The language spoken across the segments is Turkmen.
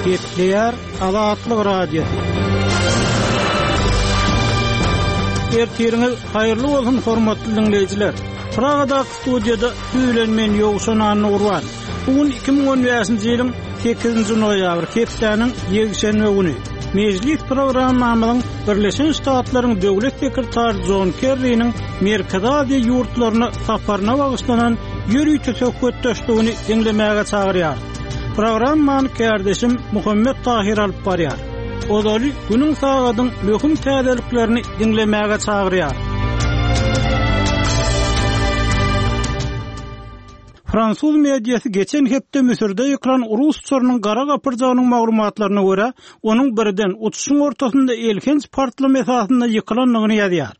Gepleýär Azatlyk Radiosy. Ertiriňiz haýyrly bolsun hormatly diňleýjiler. Pragadaky studiýada siz bilen men Ýowşan Annagurban. Bu gün 2015-nji ýylyň 8-nji noýabry, hepdäniň ýekşenbe güni. Mejlis programmamyzyň Birleşen Ştatlaryň Döwlet sekretary Jon Kerriniň Merkezi Aziýa ýurtlaryna saparyna bagyşlanan ýörite söhbetdeşligini diňlemäge çagyrýarys. Programmany kärdeşim Muhammet Tahyr alyp barýar. Ozaly günüň sagadyň möhüm täzeliklerini diňlemäge çagyrýar. Fransuz mediasy geçen hepde Müsürde ýykylan rus uçarynyň gara gapyrjagynyň maglumatlaryna görä, onuň birden uçuşyň ortasynda elhenç partlama esasynda ýykylandygyny ýazýar.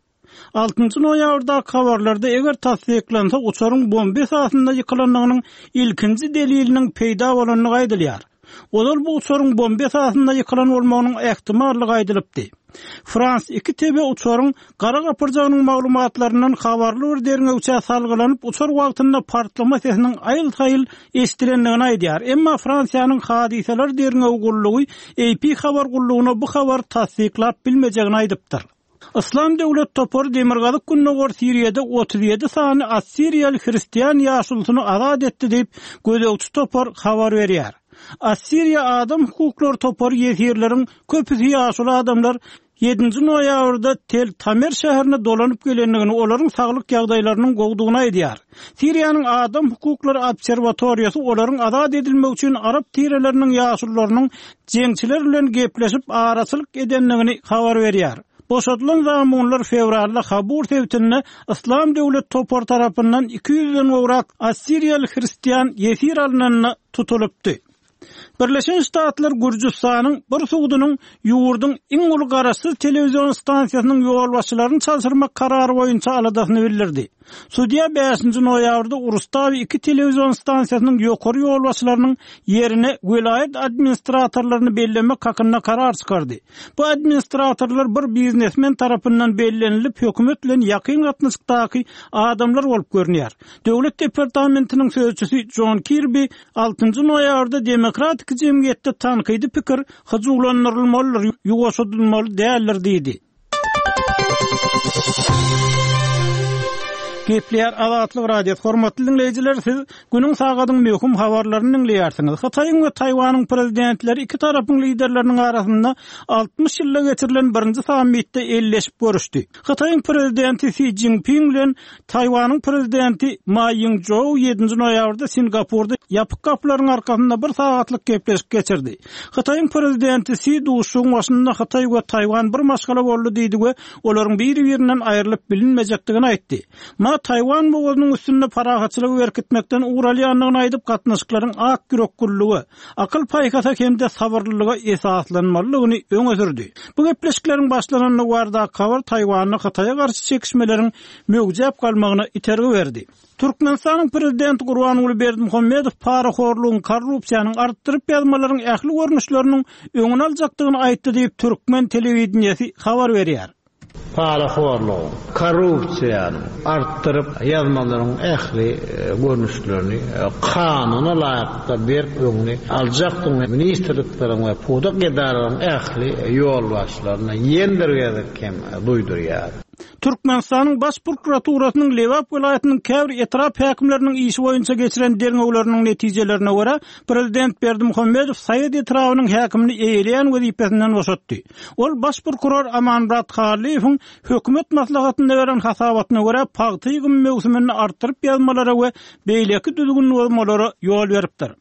Altynjy noýabrdaky habarlarda eger tassyklansa uçaryň bomba esasynda ýykylandygynyň ilkinji deliliniň peýda bolandygy aýdylýar. Ozal bu uçaryň bomba esasynda ýykylan bolmagynyň ähtimallygy aýdylypdy. Frans iki TV uçaryň gara gapyrjagynyň maglumatlaryndan habarly bir derňewçä salgylanyp uçar wagtynda partlama sesiniň aýyl-saýyl eşidilendigini aýdýar. Emma Fransiýanyň hadysalar derňewi gullugy AP habar gullugyna bu habary tassyklap bilmejegini aýdypdyr. Yslam döwlet topary demirgazyk-gündogar Siriýada 37 sany assiriýaly hristian ýaşulusyny azat etdi diýip, gözegçi topar habar berýär. Assiriýa adam hukuklary topary ýesirleriň köpüsi ýaşuly adamlar ýedinji noýabrda Tel Tamer şäherine dolanyp gelendigini, olaryň saglyk ýagdaýlarynyň gowudygyny aýdýar. Siriýanyň adam hukuklary obserwatoriýasy olaryň azat edilmegi üçin arap tireleriniň ýaşulularynyň jeňçiler bilen gepleşip araçylyk edendigini habar berýär. Boşadylan zamunlar fewralda Habur sebitinde Yslam döwlet topary tarapyndan 200-den gowrak assiriýaly hristian ýesir alnanda tutulypdy. Birleşen Ştatlar Gürjüstanyň bir sudunyň ýurduň iň uly garaşsyz telewizion stansiýasynyň ýolbaşçylaryny çalşyrmak karary boýunça aladasyny bildirdi. Sudýa bäşinji noýabrda Rustawi iki telewizion stansiýasynyň ýokary ýolbaşçylarynyň ýerine welaýat administratorlaryny bellemek hakynda karar çykardy. Bu administratorlar bir biznesmen tarapyndan bellenilip, hökümet bilen ýakyn gatnaşykdaky adamlar bolup görünýär. Döwlet departamentiniň sözçüsi Jon Kirbi altynjy noýabrda demokratik jemgyýetde tankydy pikir hyjuwlandyrylmalydyr, ýuwaşadylmaly däldir diýdi. Gepleýär Azatlyk Radiosy. Hormatly diňleýjiler, siz günüň sagadyň möhüm habarlaryny diňleýärsiňiz. Hytaýyň we Taýwanyň prezidentleri iki tarapyň liderleriniň arasynda 60 ýylda geçirilen birinji sammitde elleşip görüşdi. Hytaýyň prezidenti Si Szinpin bilen Taýwanyň prezidenti Ma Ýing-Jou ýedinji noýabrda Singapurda ýapyk gapylaryň arkasynda bir sagatlyk gepleşik geçirdi. Hytaýyň prezidenti Si duşuşygyň başynda Hytaý we Taýwan bir maşgala boldy diýdi we olaryň biri-birinden aýrylyp bilinmejekdigini aýtdy. Ma Taýwan bogazynyň üstünde parahatçylygy berkitmekden ugur alýandygyny aýdyp, gatnaşyklaryň ak ýüreklilige, akyl-paýhasa hem-de sabyrlylyga esaslanmalydygyny öňe sürdi. Bu gepleşikleriň başlanandygy baradaky habar Taýwanda Hytaýa garşy çekişmeleriň möwjäp galmagyna itergi berdi. Türkmenistanyň Prezidenti Gurbanguly Berdimuhamedow parahorlugyň, korrupsiýanyň, artdyryp ýazmalaryň ähli görnüşleriniň öňüni aljakdygyny aýtdy diýip, türkmen telewideniýesi habar berýär. Parahorlugyň, korrupsiýanyň, artdyryp ýazmalaryň ähli görnüşlerini kanuna laýyklykda berk öňüni aljakdygyny ministrlikleriň we pudak edaralaryň ähli ýolbaşçylaryna ýene bir gezek hem duýdurýar. Türkmenistanyň Baş prokuraturasynyň Lebap welaýatynyň käbir etrap häkimleriniň işi boýunça geçiren derňewleriniň netijelerine görä, prezident Berdimuhamedow Saýat etrabynyň häkimini eýeleýän wezipesinden boşatdy. Ol baş prokuror Amanmyrat Hallyýewiň hökümet maslahatynda beren hasabatyna görä, pagta ýygymy möwsüminde artdyryp ýazmalara we beýleki düzgün bozmalara ýol beripdir.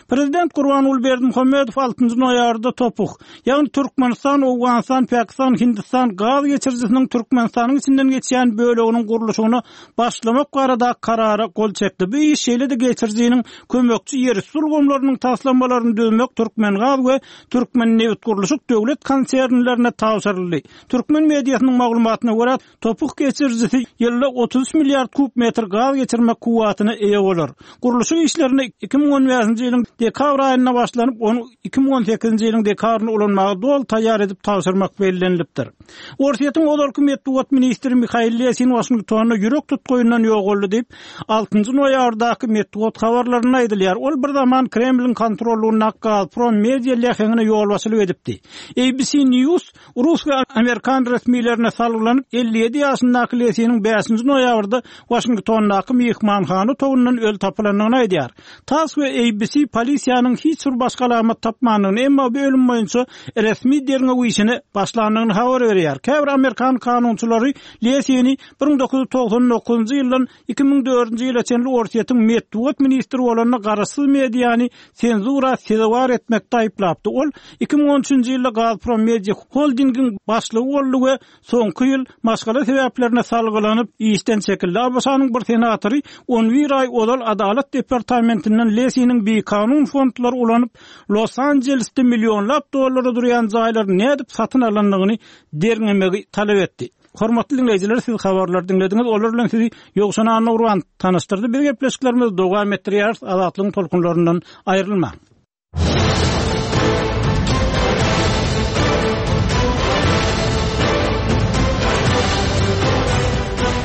Prezident Gurbanguly Berdimuhamedow altynjy noýabrda TOPH, ýagny Türkmenistan, Owganystan, Pakistan, Hindistan gaz geçirijisiniň Türkmenistanyň içinden geçýän böleginiň gurluşygyna başlamak baradaky karara gol çekdi. Bu iş şeýle-de geçirijiniň kömekçi ýerüsti ulgamlarynyň taslamalaryny düzmek Türkmengaz we Türkmennebitgurluşyk döwlet konsernlerine tabşyryldy. Türkmen mediasynyň maglumatyna görä, Topuk geçirijisi ýylda 33 milliard kub metr gaz geçirmek kuwwatyna eýe bolar. Gurluşyk işlerine 2015-nji ýylyň. ýylyň dekabr aýynda başlanyp, ony 2018-nji ýylyň dekabrynda ulanmaga doly taýýar edip tabşyrmak bellenilipdir. Orsýetiň ozalky metbugat ministri Mihail Lesin Waşingtonda ýürek tutgaýyndan ýogaldy diýip, altynjy noýabrdaky metbugat habarlarynda aýdylýar. Ol bir zaman Kremliň kontrollygyndaky Gazprom media läheňine ýolbaşçylyk edipdi. ABC News Rus we amerikan resmilerine salgylanyp, 57 ýaşyndaky Lesiniň bäşinji noýabrda Waşingtondaky myhmanhana otagyndan öli tapylandygyny aýdýar. Tass we ABC polisiýanyň hiç bir başga alamat tapmandygyny, emma bu ölüm boýunça resmi derňew işine başlandygyny habar berýär. Käbir amerikan kanunçylary Lesini 1999-njy ýyldan 2004-nji ýyla çenli Orsýetiň metbugat ministri bolanda garaşsyz mediany senzura sezewar etmekde aýyplapdy. Ol 2013-nji ýylda Gazprom Media holdingiň başlygy boldy we soňky ýyl maşgala sebäplerine salgylanyp işden çekildi. ABŞ-nyň bir senatory on bir aý ozal Adalat departamentinden Lesiniň bikanun fondlary ulanyp, Los-Anjelesde millionlap dollara durýan jaýlary nädip satyn alandygyny derňemegi talap etdi. Hormatly diňleýjiler, siz habarlary diňlediňiz. Olar bilen sizi Ýowşan Annagurban tanyşdyrdy. Biz gepleşiklerimizi dowam etdirýäris. Azatlygyň tolkunlaryndan aýrylmaň.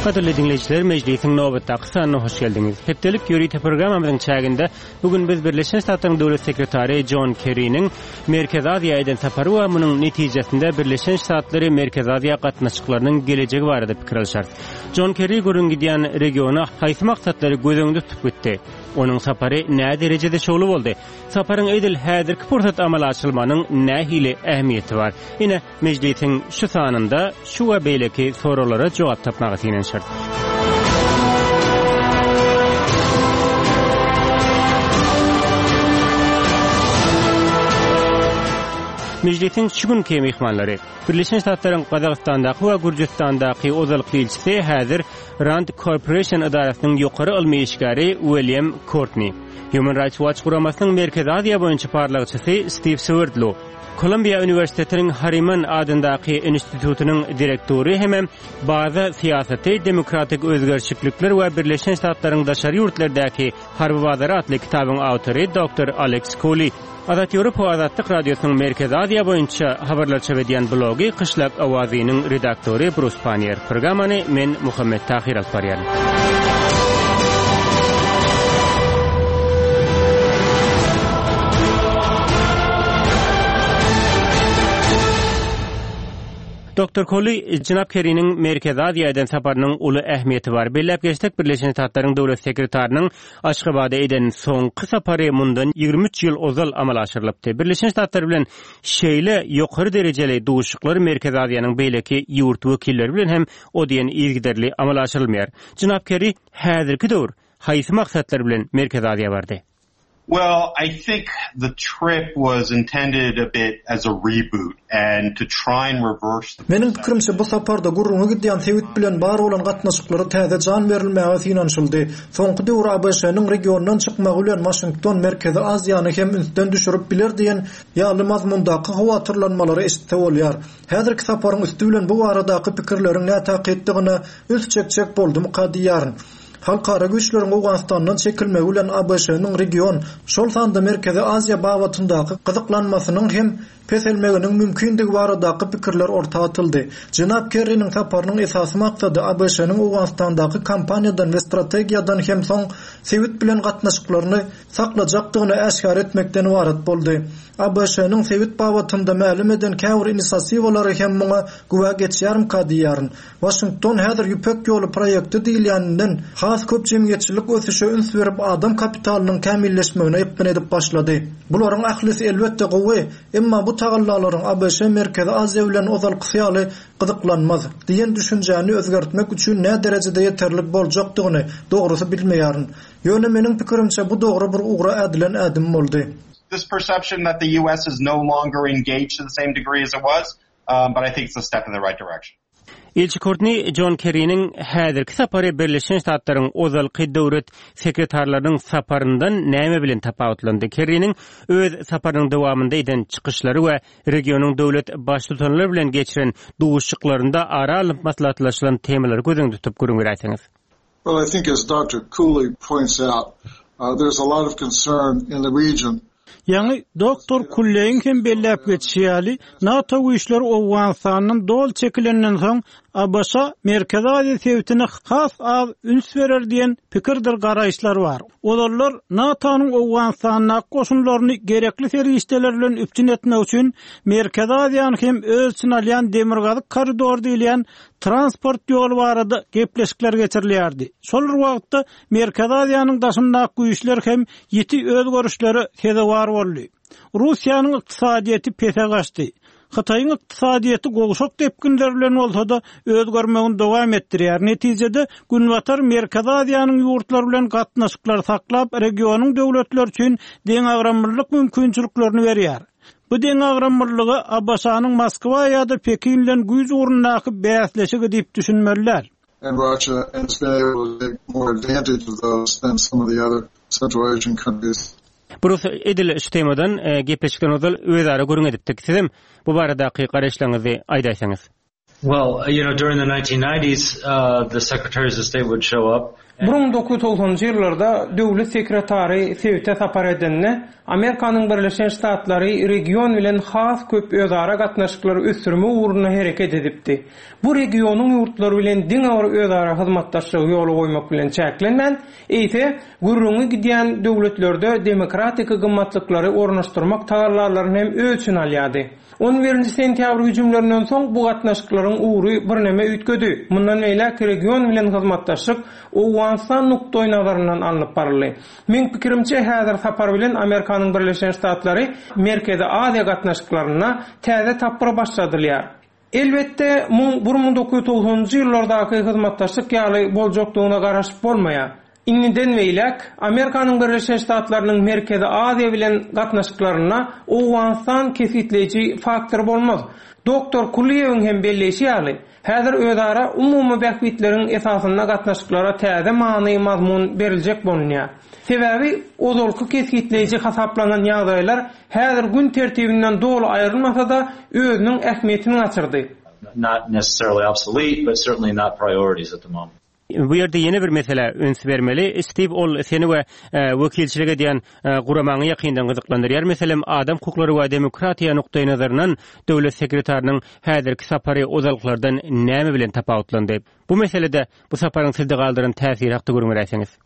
Gadyrly diňleýjiler, mejlisiň nobatdaky sanyna hoş geldiňiz. Hepdelik ýörite programmamyzyň çäginde Bu gün biz Birleşen Ştatlaryň Döwlet sekretary Jon Kerriniň Merkezi Aziýa eden sapary we munuň netijesinde Birleşen Ştatlary-Merkezi Aziýa gatnaşyklarynyň gelejegi barada pikir alyşarys. Jon Kerri gürrüň gidýän regiona haýsy maksatlary göz öňünde tutup gitdi? Onuň sapary näderejede şowly boldy? Saparyň edil häzirki pursat amala aşyrylmagynyň nähili ähmiýeti bar? Ine, Mejlisiň şu sanynda şu we beýleki soraglara jogap tapmaga synanyşarys. Mejlisiň şu günki myhmanlary, Birleşen Ştatlaryň Gazagystandaky we Gürjüstandaky ozalky ilçisi, häzir Rand Corporation edarasynyň ýokary ylmy işgäri Uilýam Kortni, Human Rights Watch guramasynyň Merkezi Aziýa boýunça barlagçysy Stiw Swerdlow, Kolumbiýa uniwersitetiniň Harriman adyndaky institutynyň direktory hemem Baza syýasaty, demokratik özgerişiklikler we Birleşen Ştatlaryň daşary ýurtlardaky harby bazary atly kitabyň awtory doktor Aleks Koli. Azat Ýewropa we Azatlyk Radiosynyň Merkezi Aziýa boýunça habarlar çap edýän blogy Kyşlak owazynyň redaktory Brus Pannier. Programmany men Muhammet Tahyr alyp barýaryn. Doktor Kolli, jenap Kerriniň Merkezi Aziýa eden saparynyň uly ähmiýeti bar. Belläp geçsek, Birleşen Ştatlaryň Döwlet sekretarynyň Aşgabada eden soňky sapary mundan 23 ýyl ozal amala aşyrylypdy. Birleşen Ştatlar bilen şeýle ýokary derejeli duşuşyklar Merkezi Aziýanyň beýleki ýurt wekilleri bilen hem o diýen yzygiderli amala aşyrylmaýar. Jenap Kerri häzirki döwür haýsy maksatlar bilen Merkezi Aziýa bardy? Well, I think the trip was intended a bit as a reboot and to try and reverse the Meniň pikirimçe, bu saparda gürrüňi gidýän sebit bilen bar bolan gatnaşyklara täze jan berilmäge synanyşyldy. Soňky döwür ABŞ-nyň regiondan çykmagy bilen Waşington Merkezi Aziýany hem ünsden düşürip biler diýen ýaly mazmundaky howatyrlanmalary eşitse bolýar. Häzirki saparyň üsti bilen bu baradaky pikirleriň nätakykdygyna üns çekjek boldumyka diýýärin. Halkara güýçleriň Owganystandan çekilmegi bilen ABŞ-nyň region, şol sanda Merkezi Aziýa babatyndaky gyzyklanmasynyň hem peselmeginiň mümkindigi baradaky pikirler orta atyldy. Jenap Kerriniň saparynyň esasy maksady ABŞ-nyň Owganystandaky kampaniýadan we strategiýadan hem soň sebit bilen gatnaşyklaryny saklajakdygyny äşgär etmekden ybarat boldy. ABŞ-nyň sebit babatynda mälim eden käbir inisiatiwalary hem muňa güwä geçýärmika diýýärin. Waşington häzir Ýüpek ýoly proýekti diýilýäninden has köp jemgyýetçilik ösüşe üns berip adam kapitalynyň kämilleşmegine epgin edip başlady. Bularyň ählisi elbetde gowy, emma bu tagallalaryň ABŞ Merkezi Aziýa bilen ozalkysy ýaly gyzyklanmaz diýen düşünjäni özgertmek üçin näderejede ýeterlik boljakdygyny dogrusy bilmeýärin. Ýöne meniň pikirimçe bu dogry bir ugra ädilen ädim boldy. This perception that the US is no longer engaged to the same degree as it was, but I think it's a step in the right direction. Ilçi Kortni Jon Kerriniň häzirki sapary Birleşen Ştatlaryň ozalky döwlet sekretarlarynyň saparyndan näme bilen tapawutlandy? Kerriniň öz saparynyň dowamynda eden çykyşlary we regionyň döwlet Baştutanlary bilen geçiren duşuşyklarynda ara alnyp maslahatlaşylan temalary göz öňünde tutup gürrüň beräýseňiz. Well, I think as Doctor Cooley points out. There's a lot of concern in the region. Ýaňy doktor Kulleýiň hem belläp geçişi ýaly, NATO güýçleri Owganystandan doly çekilenden soň, ABŞ Merkezi Aziýa sebitine has az üns berer diýen pikirdir garaýyşlar bar. Ozallar NATO-nyň Owganystandaky goşunlaryny gerekli serişdeler bilen üpjün etmek üçin Merkezi Aziýany hem öz içine alýan Demirgazyk koridor diýilýän transport ýoly barada gepleşikler geçirilýärdi. Şol bir wagtda, Merkezi Aziýanyň daşyndaky güýçler hem ýiti özgerişlere sezewar boldy. Russiýanyň ykdysadyýeti pese gaçdy. Hytaýyň ykdysadyýeti gowşak depginler bilen bolsa-da, özgermegini dowam etdirýär. Netijede, Günbatar Merkezi Aziýanyň ýurtlary bilen gatnaşyklary saklap, regionyň döwletleri üçin deňagramlylyk mümkinçiliklerini berýär. Bu deňagramlylyga ABŞ-nyň Moskwa ýa-da Pekin bilen güýç ugrundaky bäsleşigi diýip düşünmeli däl. and Russia and has been able to take more advantage of those than some of the other Central Asian countries. Brus, edil şu temadan gepleşikden ozal özara gürrüň edipdik. Sizem bu baradaky garaýyşlaryňyzy aýdaýsaňyz. Well, you know, during the 1990s, uh, the secretaries of state would show up. 1990-njy ýyllarda döwlet sekretary sebite sapar edende, Amerikanyň Birleşen Ştatlary region bilen has köp özara gatnaşyklary ösdürmek ugrunda hereket edipdi. Bu regionyň ýurtlary bilen diňe bir özara hyzmatdaşlygy ýola goýmak bilen çäklenmän, eýse, gürrüňi gidýän döwletlerde demokratiki gymmatlyklary ornaşdyrmak tagallalaryny hem öz içine alýardy. On birinji sentýabr hüjümlerinden soň bu gatnaşyklaryň ugry birneme üýtgedi. Mundan beýläk region bilen hyzmatdaşlyk Owganystan nukdaýnazaryndan alnyp baryldy. Meň pikirimçe, häzir sapar bilen Amerikanyň Birleşen Ştatlary Merkezi Aziýa gatnaşyklarynda täze tapgyr başladylýar. Elbetde, muň 1990-njy ýyllardaky hyzmatdaşlyk ýaly boljakdygyna garaşyp bolmaýar. Indiden beýläk, Amerikanyň Birleşen Ştatlarynyň Merkezi Aziýa bilen gatnaşyklarynda Owganystan kesgitleýji faktor bolmaz. Doktor Kulyýewiň hem belleýşi ýaly, häzir özara umumy bähbitleriň esasynda gatnaşyklara täze many-mazmun beriljek bolunýar. Sebäbi ozalky kesgitleýji hasaplanan ýagdaýlar häzir gün tertibinden doly aýrylmasa-da, özüniň ähmiýetini gaçyrdy. Not necessarily obsolete, but certainly not priorities at the moment. Bu ýerde ýene bir meselä üns bermeli. Stiw, ol seni we wekilçilik edýän guramaňy ýakyndan gyzyklandyrýar. Meselem, adam hukuklary we demokratiýa nukdaýnazaryndan döwlet sekretarynyň häzirki sapary ozalkylardan näme bilen tapawutlandy? Bu meselede bu saparyň sizde galdyran täsiri hakda gürrüň beräýseňiz.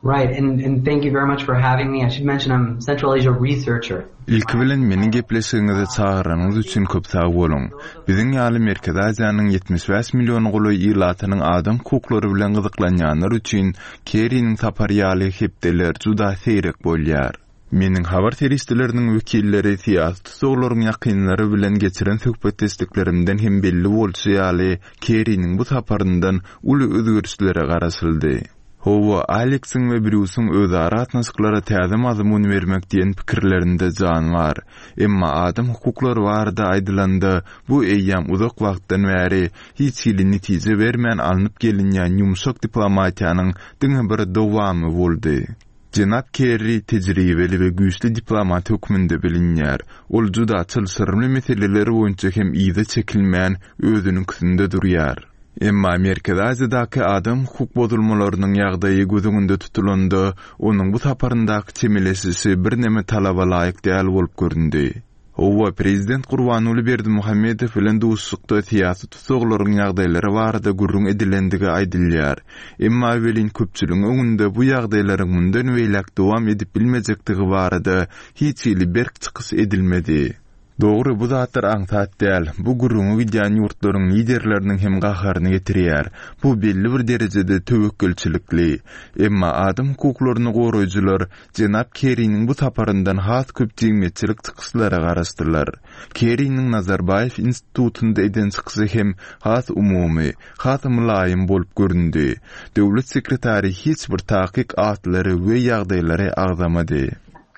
Right, and and thank you very much for having me. I should mention I'm Central Asia researcher. Ilki bilen meni gepleşigiňize çagyranyňyz üçin köp sag boluň. Biziň ýaly Merkezi Aziýanyň 75 milliona golaý ilatynyň adam hukuklary bilen gyzyklanýanlar üçin Kerriniň sapary ýaly hepdeler juda seýrek bolýar. Meniň habar serişdeleriniň wekilleri, syýasy tussaglaryň ýakynlary bilen geçiren söhbetdeşliklerimden hem belli bolşy ýaly, Kerriniň bu saparyndan uly özgerişlere garaşyldy. Hawa, Aleksiň we Brýusyň özara gatnaşyklara täze mazmun bermek diýen pikirlerinde jan bar. Emma adam hukuklary barada aýdylanda, bu eýýäm uzak wagtdan bäri hiç hili netije bermän alnyp gelinýän ýumşak diplomatiýanyň diňe bir dowamy boldy. Jenap Kerri tejribeli we güýçli diplomat hökmünde bilinýär. Ol juda çylşyrymly meseleler boýunça hem yza çekilmän, özüniňkisinde durýar. Emma Merkezi Aziýadaky adam hukuk bozulmalarynyň ýagdaýy göz öňünde tutulanda, onuň bu saparyndaky çemeleşişi birneme talaba laýyk däl bolup göründi. Hawa, prezident Gurbanguly Berdimuhamedow bilen duşuşykda syýasy tussaglaryň ýagdaýlary barada gürrüň edilendigi aýdylýar. Emma welin köpçüligiň öňünde bu ýagdaýlaryň mundan beýläk dowam edip bilmejekdigi barada hiç hili berk çykyş edilmedi. Dogry, bu zatlar aňsat däl. Bu gürrüňi gidýän ýurtlaryň liderleriniň hem gaharyny getirýär. Bu belli bir derejede töwekgelçilikli. Emma adam hukuklaryny goraýjylar jenap Kerriniň bu saparyndan has köp jemgyýetçilik çykyşlara garaşdylar. Kerriniň Nazarbaýew institutynda eden çykyşy hem has umumy, has mylaýym bolup göründi. Döwlet sekretary hiç bir takyk atlary we ýagdaýlary agzamady.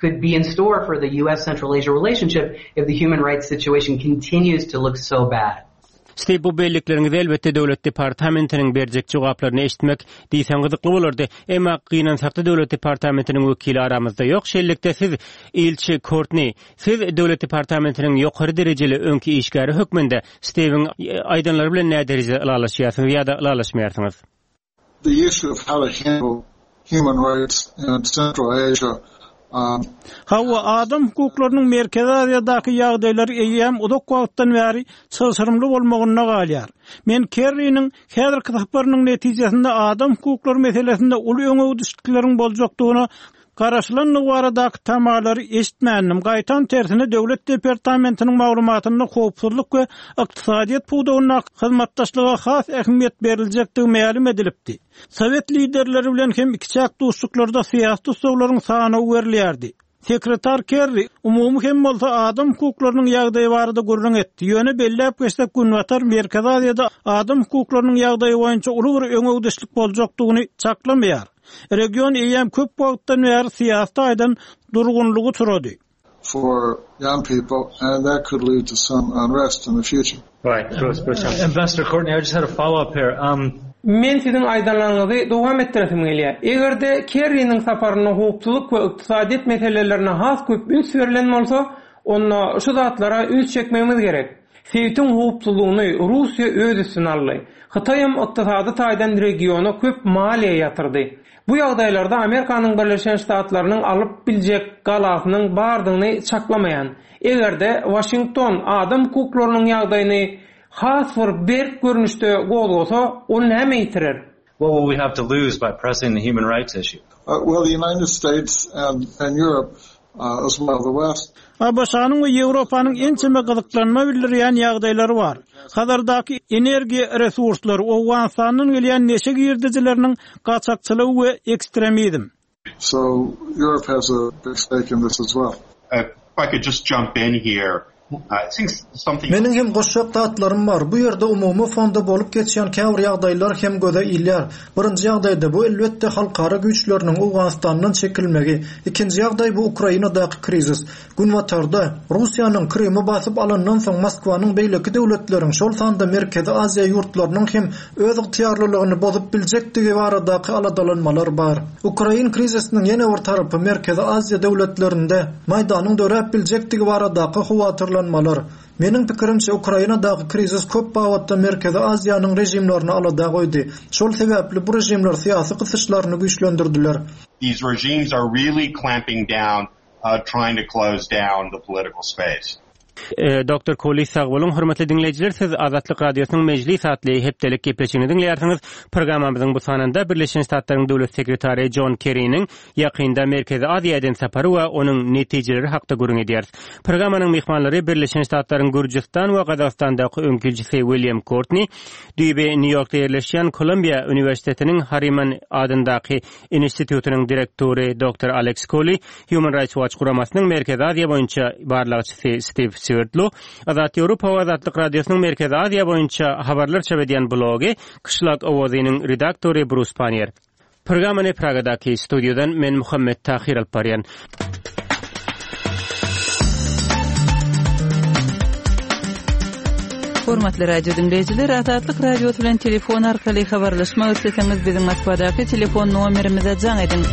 could be in store for the US-Central Asia relationship if the human rights situation continues to look so bad. Stiw, bu bellikleriňizi elbetde Döwlet departamentiniň berjek jogaplaryny eşitmek diýseň gyzykly bolardy. Emma gynansakda Döwlet departamentiniň wekili aramyzda ýok. Şeýlelikde siz, ilçi Kortni, siz Döwlet departamentiniň ýokary derejeli öňki işgäri hökmünde Stiwiň aýdanlary bilen näderejede ylalaşýarsyňyz ýa-da ylalaşmaýarsyňyz? The issue of how to handle. human rights in Central Asia. Hawa, adam hukuklarynyň Merkezi Aziýadaky ýagdaýlary eýýäm uzak wagtdan bäri çylşyrymly bolmagynda galýar. Men Kerriniň häzirki saparynyň netijesinde adam hukuklary meselesinde uly öňegidişlikleriň boljakdygyna garaşylandygy baradaky tamalary eşitmändim, gaýtam tersine Döwlet departamentiniň maglumatynda howpsuzlyk we ykdysadyýet pudagyndaky hyzmatdaşlyga has ähmiýet beriljekdigi mälim edilipdi. Sowet liderleri bilen hem ikiçäk duşuşyklarda syýasy tussaglaryň sanawy berilýärdi. Sekretar Kerri, umumy hem bolsa adam hukuklarynyň ýagdaýy barada gürrüň etdi, ýöne belläp geçsek Günbatar Merkezi Aziýada adam hukuklarynyň ýagdaýy boýunça uly bir öňegidişlik boljakdygyny çaklamaýar. Region eýýäm köp wagtdan bäri syýasy taýdan durgunlyga uçrady. for young people and that could lead to some unrest in the future. Right. Ambassador Courtney, I just had a follow-up here. Um, Men siziň aýdanlaryňyzy dowam etdiresim gelýär. Eger-de Kerriniň saparynda howpsuzlyk we ykdysadyýet meselelerine has köp üns berlen bolsa, onda şu zatlara üns çekmegimiz gerek. Sebitiň howpsuzlygyny Russiýa öz üstüne aldy. Hytaýam ykdysady taýdan regiona köp maliýe ýatyrdy. Bu ýagdaýlarda Amerikanyň Birleşen Ştatlarynyň alyp biljek galasynyň bardygyny çaklamaýan. Eger-de Waşington adam hukuklarynyň ýagdaýyny has bir berk görnüşde gozgasa, ol näme ýitirer? What will we have to lose by pressing the human rights issue? Well, the United States and and Europe as well the West. ABŞ-nyň we Ýewropanyň ençeme gyzyklanma bildirýän ýagdaýlary bar. Hazardaky energiýa resurslary, Owganystandan gelýän neşe girdejileriniň gaçakçylygy we ekstremizm. So Europe has a big stake in this as well. If I could just jump in here, Meniň hem goşjak zatlarym bar. Bu ýerde umumy fonda bolup geçýän käbir ýagdaýlar hem göze ilýär. Birinji ýagdaýda bu elbetde halkara güýçleriniň Owganystandan çekilmegi. Ikinji ýagdaý bu Ukrainadaky krizis. Günbatarda, Russiýanyň Krymy basyp alandan soň Moskwanyň beýleki döwletleriň, şol sanda Merkezi Aziýa ýurtlarynyň hem öz ygtyýarlylygyny bozup biljekdigi baradaky aladalanmalar bar. Ukrain krizisiniň ýene bir tarapy Merkezi Aziýa döwletlerinde Maýdanyň döräp biljekdigi baradaky howatyrlanmalar. Meniň pikirimçe, Ukrainadaky krizis köp babatda Merkezi Aziýanyň režimlerini alada goýdy. Şol sebäpli bu režimler syýasy gysyşlaryny güýçlendirdiler. These regimes are really clamping down trying to close down the political space. Doktor Koli sag boluň. Hormatly diňleýjiler, siz Azatlyk Radiosynyň Mejlis atly hepdelik gepleşigini diňleýärsiňiz. Programmamyzyň bu sanynda Birleşen Ştatlaryň Döwlet sekretary Jon Kerriniň ýakynda Merkezi Aziýa eden sapary we onuň netijeleri hakda gürrüň edýäris. Programmanyň myhmanlary Birleşen Ştatlaryň Gürjüstan we Gazagystandaky öňki ilçisi William Kortni, düýbi Nýu-Ýorkda ýerleşýän Kolumbiýa uniwersitetiniň Harriman adyndaky institutynyň direktory doktor Aleks Koli, Human Rights Watch guramasynyň Merkezi Aziýa boýunça barlagçysy Stiw Swerdlow, Azat Ýewropa we Azatlyk Radiosynyň Merkezi Aziýa boýunça habarlar çap edýän blogy Kyşlak owazynyň redaktory Brus Pannier. Programmany Pragadaky studiýadan men Muhammet Tahyr alyp barýan. Hormatly radio diňleýjiler, Azatlyk Radiosy bilen telefon arkaly habarlaşmak isleseňiz, biziň Moskwadaky telefon nomerimize jaň ediň.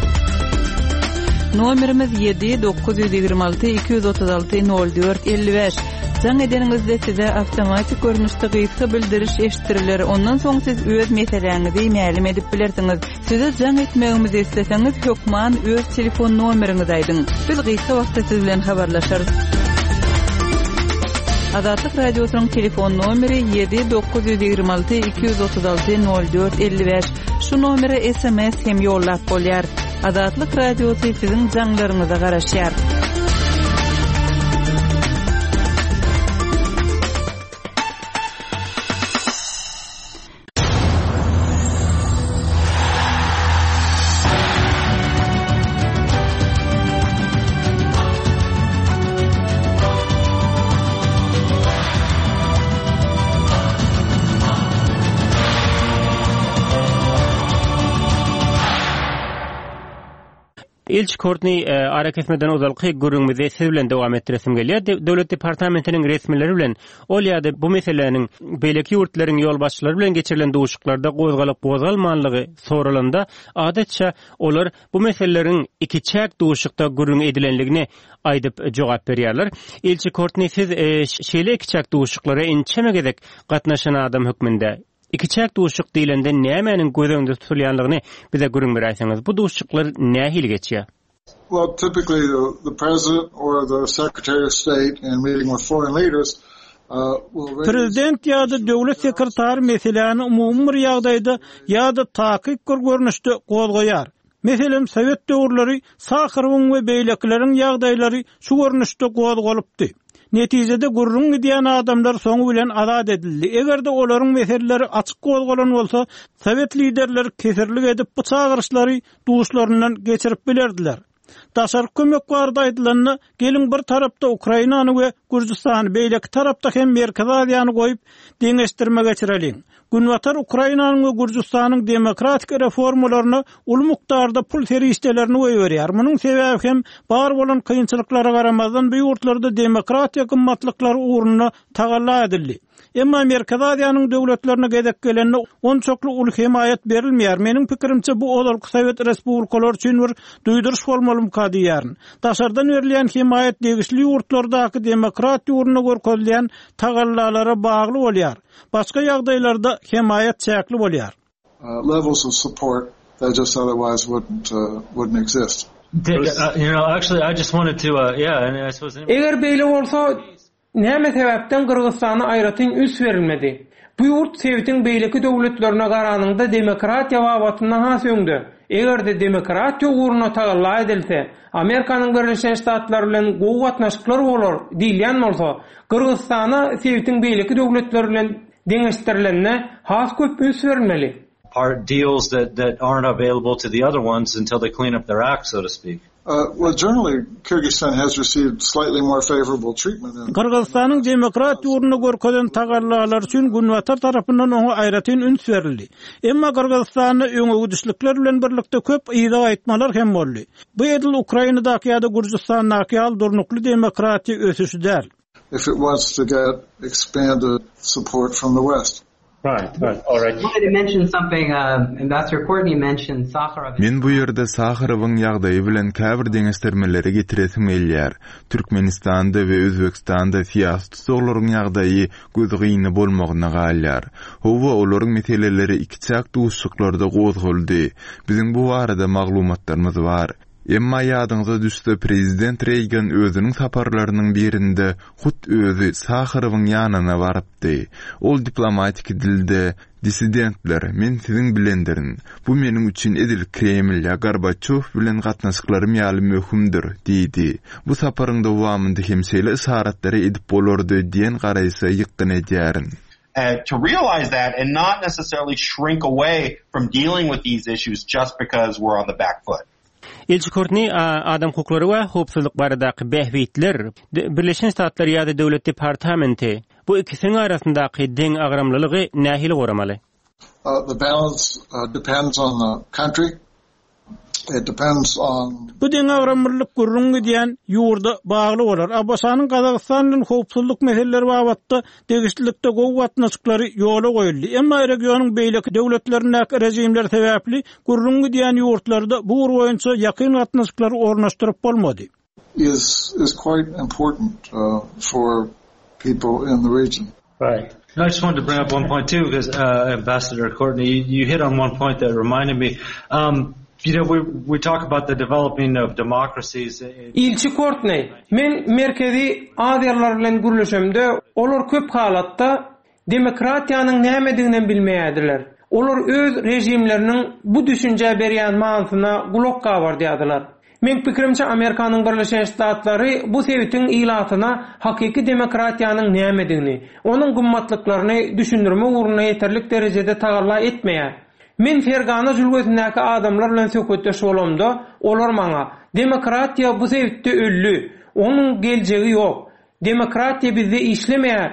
Nomerimiz 7 926 236 04 55. Jaň edeniňizde size awtomatik görnüşde gysga bildiriş eşitdiriler. Ondan soň siz öz meseläňizi mälim edip bilersiňiz. Size jaň etmegimizi isleseňiz, hökman öz telefon nomeriňizi aýdyň. Biz gysga wagtda siz bilen habarlaşarys. Azatlyk Radiosynyň telefon nomeri 7 926 236 04 55. Şu nomere sms hem ýollap bolýar. Azatlyk Radiosy siziň jaňlaryňyza garaşýar. Ilçi Kortni, arakesmeden ozalky gürrüňimizi siz bilen dowam etdiresim gelýär. Döwlet departamentiniň resmileri bilen ol ýa-da bu meseläniň beýleki ýurtlaryň ýolbaşçylary bilen geçirilen duşuşyklarda gozgalyp-gozgalmanlygy soralanda, adatça, olar bu meseleleriň ikiçäk duşuşykda gürrüň edilenligini aýdyp jogap berýärler. Ilçi Kortni, siz şeýle ikiçäk duşuşyklara ençeme gezek gatnaşan adam hökmünde. Ikiçäk duşuşyk diýlende nämäniň göz öňünde tutulýanlygyny bize gürrüň beräýseňiz, bu duşuşyklar nähili geçýär? Well, typically the, the president or the secretary of state in meeting with foreign leaders uh, Prezident ýa-da döwlet sekretary meseläni umumy bir ýagdaýda ýa-da takyk bir görnüşde gozgaýar. Meselem, sowet döwürleri Saharowyň we beýlekileriň ýagdaýlary şu görnüşde gozgalypdy. Netijede gürrüň gidýän adamlar soňy bilen azat edildi. Eger-de olaryň meseleleri açyk gozgalan bolsa, sowet liderleri kesirlik edip bu çagyryşlary duşlaryndan geçirip bilerdiler. Daşarky kömek barada aýdylanda, geliň bir tarapda Ukrainany we Gürjüstany, beýleki tarapda hem Merkezi Aziýany goýup, deňeşdirme geçireliň. Günbatar Ukrainanyň we Gürjüstanyň demokratik reformalaryna uly mukdarda pul serişdelerini goýberýär. Munuň sebäbi hem bar bolan kynçylyklara garamazdan bu ýurtlarda demokratiýa gymmatlyklary ugrunda tagalla edildi. Emma Merkezi Aziýanyň döwletlerine gezek gelende onçakly uly hemaýat berilmeýär. Meniň pikirimçe bu ozalky sowet respublikalary üçin bir duýduryş bolmalymyka diýýärin. Daşardan berilýän hemaýat degişli ýurtlardaky demokratiýa ugrunda görkezilýän tagallalara bagly bolýar. Başga ýagdaýlarda hemaýat çäkli bolýar. Levels of support that just otherwise wouldn't wouldn't exist. Eger beýle bolsa, näme sebäpden Gyrgyzystana aýratyn üns berilmedi? Bu ýurt sebitiň beýleki döwletlerine garanyňda demokratiýa babatynda has öňde. Eger-de demokratiýa ugrunda tagalla edilse, Amerikanyň Birleşen Ştatlary bilen gowy gatnaşyklar bolar diýilýän bolsa, Gyrgyzystana sebitiň beýleki döwletleri bilen deňeşdirilende has köp üns berilmeli. Part deals that that aren't available to the other ones until they clean up their act, so to speak. Well, generally, Kyrgyzstan has received slightly more favorable treatment in. Gyrgyzystanyň demokratiýa ugrunda görkezen tagallalary üçin Günbatar tarapyndan oňa aýratyn üns berildi. Emma Gyrgyzystanda öňegidişlikler bilen birlikde köp yza gaýtmalar hem boldy. Bu edil Ukrainadaky ýa-da Gürjüstandaky ýaly durnukly demokratiýa ösüşi däl. If it wants to get expanded support from the West. Right, right, all right. Wanted to mention something, Ambassador Courtney mentioned Sakharov. Men bu ýerde Saharowyň ýagdaýy bilen käbir deňeşdirmeleri getiresim gelýär. Türkmenistanda we Özbegistanda syýasy tussaglaryň ýagdaýy gözgyny bolmagyna galýar. Hawa, olaryň meseleleri ikiçäk duşuşyklarda gozgaldy. Biziň bu barada maglumatlarymyz bar. Emma ýadyňyza düşse, prezident Reýgan özüniň saparlarynyň birinde hut özi Saharowyň ýanyna barypdy. Ol diplomatiki dilde, Dissidentler, men siziň bilendirin. Bu meniň üçin edil Kreml ýa Gorbaçýow bilen gatnaşyklarym ýaly möhümdir diýdi. Bu saparyň dowamynda hem şeýle yşaratlary edip bolardy diýen garaýşa ýykgyn edýärin. To realize that and not necessarily shrink away from dealing with these issues just because we're on the back foot. Ilçi Kortni adam hukuklary we howpsuzlyk baradaky bähbitler, Birleşen Ştatlar ýa-da Döwlet departamenti bu ikisiniň arasyndaky deňagramlylygy nähili goramaly? The balance depends on the country. It depends on. Bu deňagramlylyk gürrüň gidýän ýurda bagly bolar. ABŞ-nyň Gazagystan bilen howpsuzlyk meseleleri babatda degişlilikde gowy gatnaşyklary ýola goýuldy. Emma regionyň beýleki döwletlerindäki režimler sebäpli gürrüň gidýän ýurtlarda bu ugur boýunça ýakyn gatnaşyklary ornaşdyryp bolmady. Is is quite important for people in the region. Right. I just wanted to bring up one point too because uh, Ambassador Courtney, you, you hit on one point that reminded me. Um, you know, we we talk about the developing of democracies. Ilçi Kortneý, Men Merkezi Aziýalylar bilen gürleşemde, olar köp halatda Demokratiýanyň nämediginem bilmeýärdiler. Olar öz režimleriniň bu düşünjä berýän manysyna gulak gabardýardylar. Meň pikirimçe Amerikanyň Birleşen Ştatlary bu sebitiň ilatyna hakyky demokratiýanyň nämedigini, onuň gymmatlyklaryny düşündirmek ugrunda ýeterlik derejede tagalla etmeýär. Men Fergana jülgesindäki adamlar bilen söhbetdeş bolamda, olar maňa, Demokratiýa bu sebitde öldi. Onuň geljegi ýok. Demokratiýa bizde işlemeýär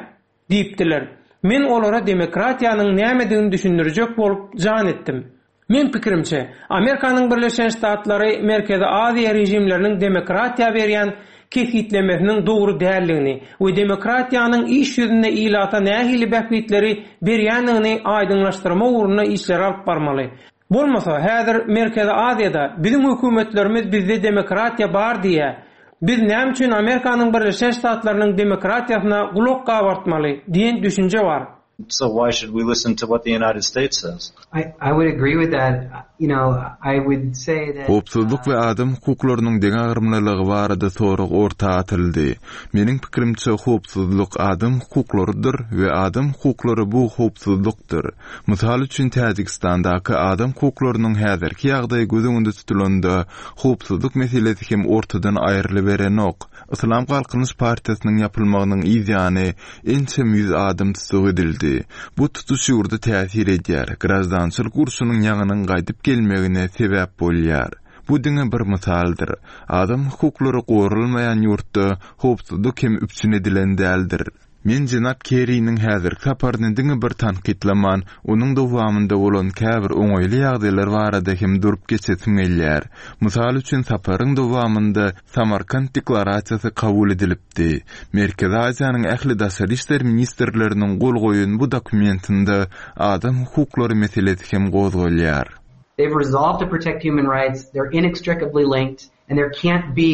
Diýipdiler. Men olara demokratiýanyň nämedigini düşündirjek bolup jan etdim. Meň pikirimçe, Amerikanyň Birleşen Ştatlary Merkezi Aziýa režimleriniň demokratiýa berýän kesgitlemesiniň dogry däldigini we demokratiýanyň iş ýüzünde ilata nähili bähbitleri berýändigini aýdyňlaşdyrmak ugrunda işleri alyp barmaly. Bolmasa, häzir Merkezi Aziýada biziň hökümetlerimiz bizde demokratiýa bar diýýär. Biz näme üçin Amerikanyň Birleşen Ştatlarynyň demokratiýasyna gulak gabartmaly diýen düşünje bar. So why should we listen to what the United States says? I I would agree with that. You know, I would say that Howpsuzlyk we adam hukuklarynyň deňagramlylygy barada sorag orta atyldy. Meniň pikirimçe, howpsuzlyk adam hukuklarydyr we adam hukuklary bu howpsuzlykdyr. Mysal üçin, Täjigistandaky adam hukuklarynyň häzirki ýagdaýy göz öňünde tutulanda, howpsuzlyk meselesi hem ortadan aýrylyberenok. Yslam Galkynyş partiýasynyň ýapylmagynyň yz ýany ençeme ýüz adam tussag edildi. Bu tutuş ýurda täsir edýär, graždançylyk urşunyň ýaňynyň gaýdyp gelmegine sebäp bolýar. Bu diňe bir mysaldyr. Adam hukuklary goralmaýan ýurtda howpsuzlyk hem üpjün edilen däldir. Men jenap Kerriniň häzirki saparyny diňe bir tankytlaman, onuň dowamynda bolan käbir oňaýly ýagdaýlar barada hem durup geçesim gelýär. Mysal üçin, saparyň dowamynda Samarkant deklarasiýasy kabul edilipdi. Merkezi Aziýanyň ähli daşary işler ministrleriniň gol goýan bu dokumentinde adam hukuklary meselesi hem gozgalýar. They've resolved to protect human rights, they're inextricably linked, and there can't be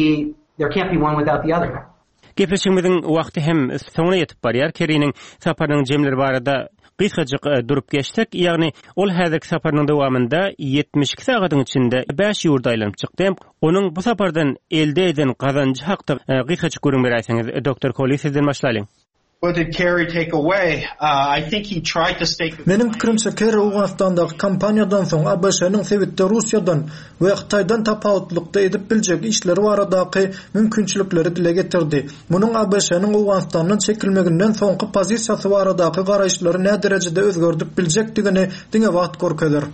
there can't be one without the other. Gepleşigimiziň wagty hem soňuna ýetip barýar. Kerriniň saparynyň jemleri barada gysgajyk durup geçsek, ýagny ol häzirki saparynyň dowamynda 72 sagadyň içinde bäş ýurda aýlanyp çykdy. Onuň bu sapardan elde eden gazanjy hakda gysgajyk gürrüň beräýseňiz, Doktor Koli, sizden başlalyň. What did Kerry take away? I think he tried to stake. Meniň pikirimçe, Kerri Owganystandaky kampaniýadan soň ABŞ-nyň sebitde Russiýadan we Hytaýdan tapawutlykda edip biljek işleri baradaky mümkinçilikleri dile getirdi. Munuň ABŞ-nyň Owganystandan çekilmeginden soňky pozisiýasy baradaky garaýyşlary näderejede özgerdip biljekdigini diňe wagt görkezer.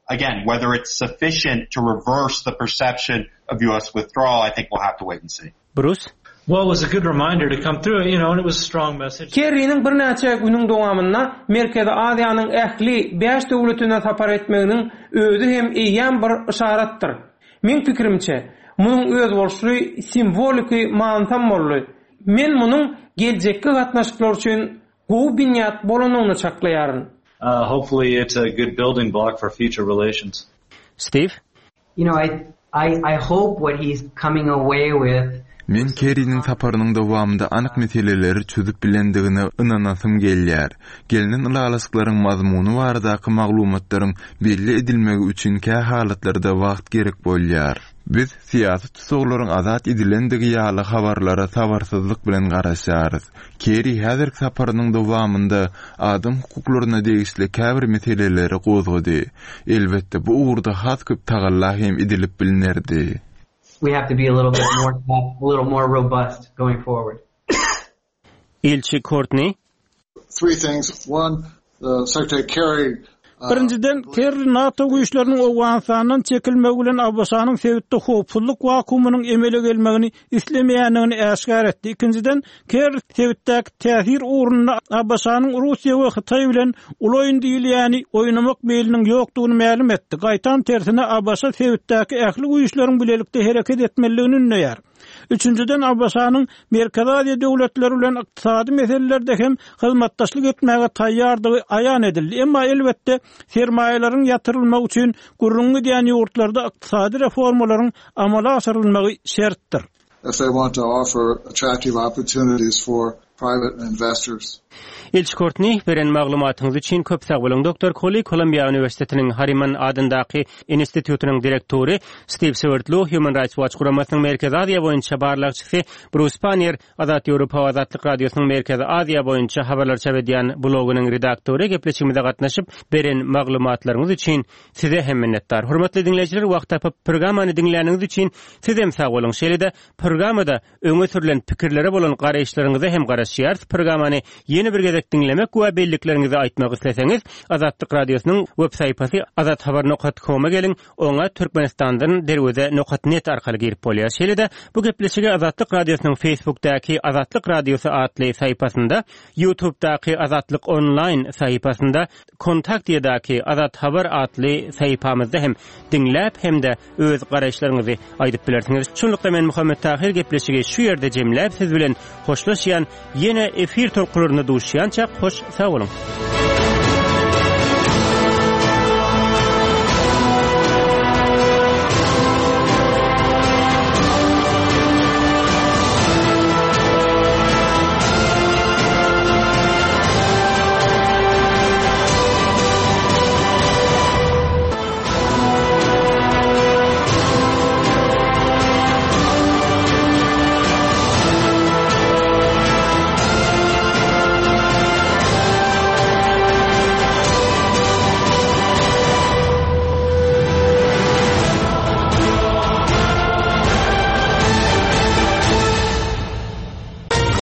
Again, whether it's sufficient to reverse the perception of US withdrawal, I think we'll have to wait and see. Brus. Well, it was a good reminder to come through, you know, and it was a strong message. Kerriniň birnäçe günüň dowamynda Merkezi Aziýanyň ähli bäş döwletine sapar etmeginiň özi hem eýýäm bir yşaratdyr. Meň pikirimçe, munuň özboluşly simwoliki manysam boldy. Men munuň geljekki gatnaşyklar üçin gowy binýat bolanyny çaklaýaryn. Hopefully it's a good building block for future relations. Steve? You know, I, I, I hope what he's coming away with Men Kerriniň saparynyň dowamynda anyk meseleleri çözüp bilendigine ynanasym gelýär. Gelnen ylalaşyklaryň mazmuny baradaky maglumatlaryň belli edilmegi üçin kä halatlarda wagt gerek bolýar. Biz syýasy tussaglaryň azat edilendigi ýaly habarlara sabyrsyzlyk bilen garaşýarys. Kerri häzirki saparynyň dowamynda adam hukuklaryna degişli käbir meseleleri gozgady. Elbetde, bu ugurda has köp tagalla hem edilip bilnerdi. We have to be a little bit more tough, a little more robust going forward. Ilçi Kortni. Three things, one, the Secretary Kerry Birinjiden, Kerri NATO güýçleriniň Owganystandan çekilmegi bilen ABŞ-nyň sebitde howpsuzlyk wakuumynyň emele gelmegini islemeýändigini äşgär etdi. Ikinjiden, Kerri sebitdäki täsir ugrunda ABŞ-nyň Russiýa we Hytaý bilen uly oýun diýilýäni oýnamak meýliniň ýokdugyny mälim etdi. Gaýtam tersine, ABŞ sebitdäki ähli güýçleriň bilelikde hereket etmelidigini ündeýär. Üçünjiden, ABŞ-nyň Merkezi Aziýa döwletleri bilen ykdysady meselelerde hem hyzmatdaşlyk etmäge taýýardygy aýan edildi. Emma, elbetde, sermaýalaryň ýatyrylmagy üçin gürrüňi gidýän ýurtlarda ykdysady reformalaryň amala aşyrylmagy şertdir. If they want to offer attractive opportunities for private investors. Ilçi Kortni, beren maglumatyňyz üçin köp sag boluň. Doktor Koli, Kolumbiýa uniwersitetiniň Harriman adyndaky institutynyň direktory, Stiw Swerdlow, Human Rights Watch guramasynyň Merkezi Aziýa boýunça barlagçysy, Brus Pannier, Azat Ýewropa we Azatlyk Radiosynyň Merkezi Aziýa boýunça habarlar çap edýän blogynyň redaktory gepleşigimize gatnaşyp, beren maglumatlaryňyz üçin size hem minnetdar. Hormatly diňleýjiler, wagt tapyp, programmany diňläniňiz üçin sizem sag boluň. Şeýle-de, programmada Öňe sürlen pikirlere bolan garaýyşlaryňyza hem garaşýarys. Programmany ýene bir gezek diňlemek we bellikleriňizi aýtmak isleseňiz, Azatlyk Radiosynyň web sahypasy azathabar nokat koma geliň, oňa Türkmenistandan derweze nokat net arkaly girip bolýar. Şeýle-de, bu gepleşigi Azatlyk Radiosynyň Facebookdaky Azatlyk Radiosy atly sahypasynda, YouTubedaky Azatlyk Online sahypasynda, Kontaktiýadaky Azat Habar atly sahypamyzda hem diňläp hem-de öz garaýyşlaryňyzy aýdyp bilersiňiz. Şunlukda men Muhammet Tahyr gepleşigi şu ýerde jemläp siz bilen hoşlaşýan ýene efir tolkunlarynda duşýançak hoş sag boluň.